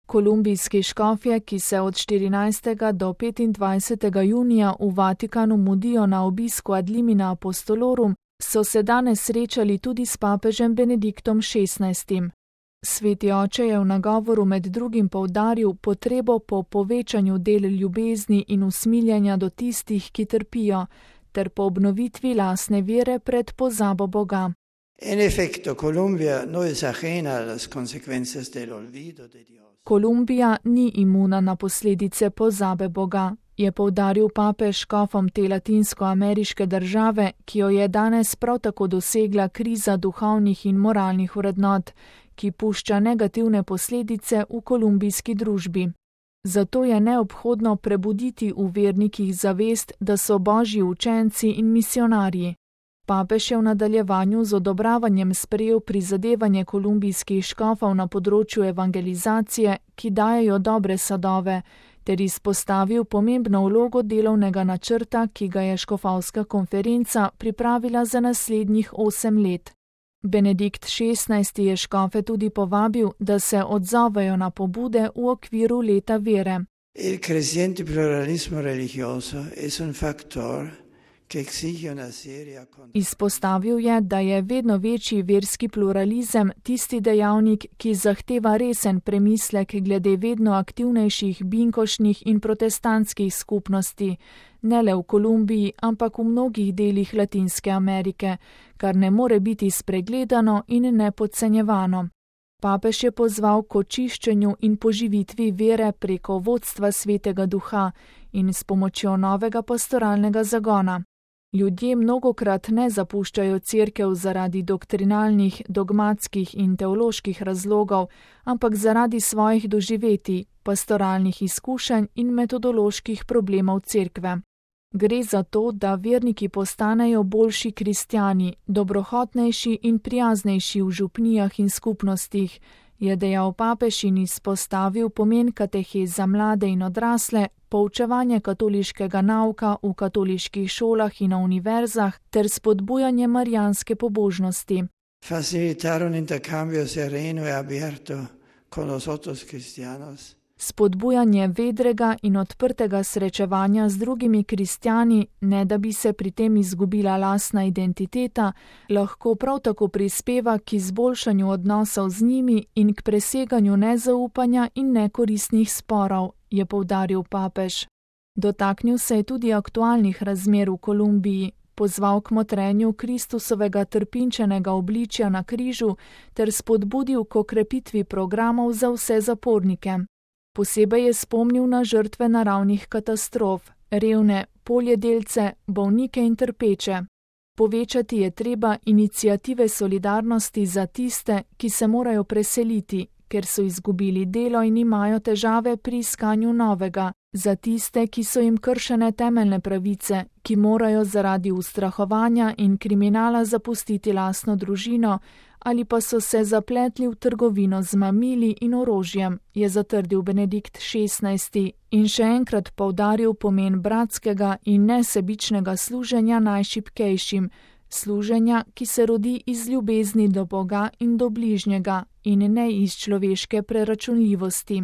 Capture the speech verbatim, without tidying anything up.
Kolumbijski škofje, ki se od štirinajstega do petindvajsetega junija v Vatikanu mudijo na obisku ad limina apostolorum, so se danes srečali tudi s papežem Benediktom šestnajstim. Sveti oče je v nagovoru med drugim poudaril potrebo po povečanju del ljubezni in usmiljenja do tistih, ki trpijo, ter po obnovitvi lastne vere pred pozabo Boga. En efecto, Colombia no es ajena a las consecuencias del olvido de Dios. Kolumbija ni imuna na posledice pozabe Boga, je poudaril papež škofom te latinskoameriške države, ki jo je danes prav tako dosegla kriza duhovnih in moralnih vrednot, ki pušča negativne posledice v kolumbijski družbi. Zato je neobhodno prebuditi v vernikih zavest, da so božji učenci in misionarji. Papež je v nadaljevanju z odobravanjem sprejel prizadevanje kolumbijskih škofov na področju evangelizacije, ki dajejo dobre sadove, ter izpostavil pomembno vlogo delovnega načrta, ki ga je škofovska konferenca pripravila za naslednjih osem let. Benedikt šestnajsti je škofe tudi povabil, da se odzovejo na pobude v okviru leta vere. El creciente pluralismo religioso es un factor que exige una seria con... Izpostavil je, da je vedno večji verski pluralizem tisti dejavnik, ki zahteva resen premislek glede vedno aktivnejših binkošnih in protestantskih skupnosti, ne le v Kolumbiji, ampak v mnogih delih Latinske Amerike, kar ne more biti spregledano in ne podcenjevano. Papež je pozval k očiščenju in poživitvi vere preko vodstva Svetega Duha in s pomočjo novega pastoralnega zagona. Ljudje mnogokrat ne zapuščajo cerkev zaradi doktrinalnih, dogmatskih in teoloških razlogov, ampak zaradi svojih doživetij, pastoralnih izkušenj in metodoloških problemov cerkve. Gre za to, da verniki postanejo boljši kristjani, dobrohotnejši in prijaznejši v župnijah in skupnostih, je dejal papež in izpostavil pomen katehez za mlade in odrasle, poučevanje katoliškega nauka v katoliških šolah in na univerzah ter spodbujanje marijanske pobožnosti. Facilitar un intercambio sereno e abierto con los otros cristianos. Spodbujanje vedrega in odprtega srečevanja z drugimi kristjani, ne da bi se pri tem izgubila lastna identiteta, lahko prav tako prispeva k izboljšanju odnosov z njimi in k preseganju nezaupanja in nekoristnih sporov, je poudaril papež. Dotaknil se je tudi aktualnih razmer v Kolumbiji, pozval k motrenju Kristusovega trpinčenega obličja na križu ter spodbudil k okrepitvi programov za vse zapornike. Posebej je spomnil na žrtve naravnih katastrof, revne, poljedelce, bolnike in trpeče. Povečati je treba iniciative solidarnosti za tiste, ki se morajo preseliti, ker so izgubili delo in imajo težave pri iskanju novega, za tiste, ki so jim kršene temeljne pravice, ki morajo zaradi ustrahovanja in kriminala zapustiti lastno družino, ali pa so se zapletli v trgovino z mamili in orožjem, je zatrdil Benedikt šestnajsti in še enkrat poudaril pomen bratskega in nesebičnega služenja najšibkejšim, služenja, ki se rodi iz ljubezni do Boga in do bližnjega in ne iz človeške preračunljivosti.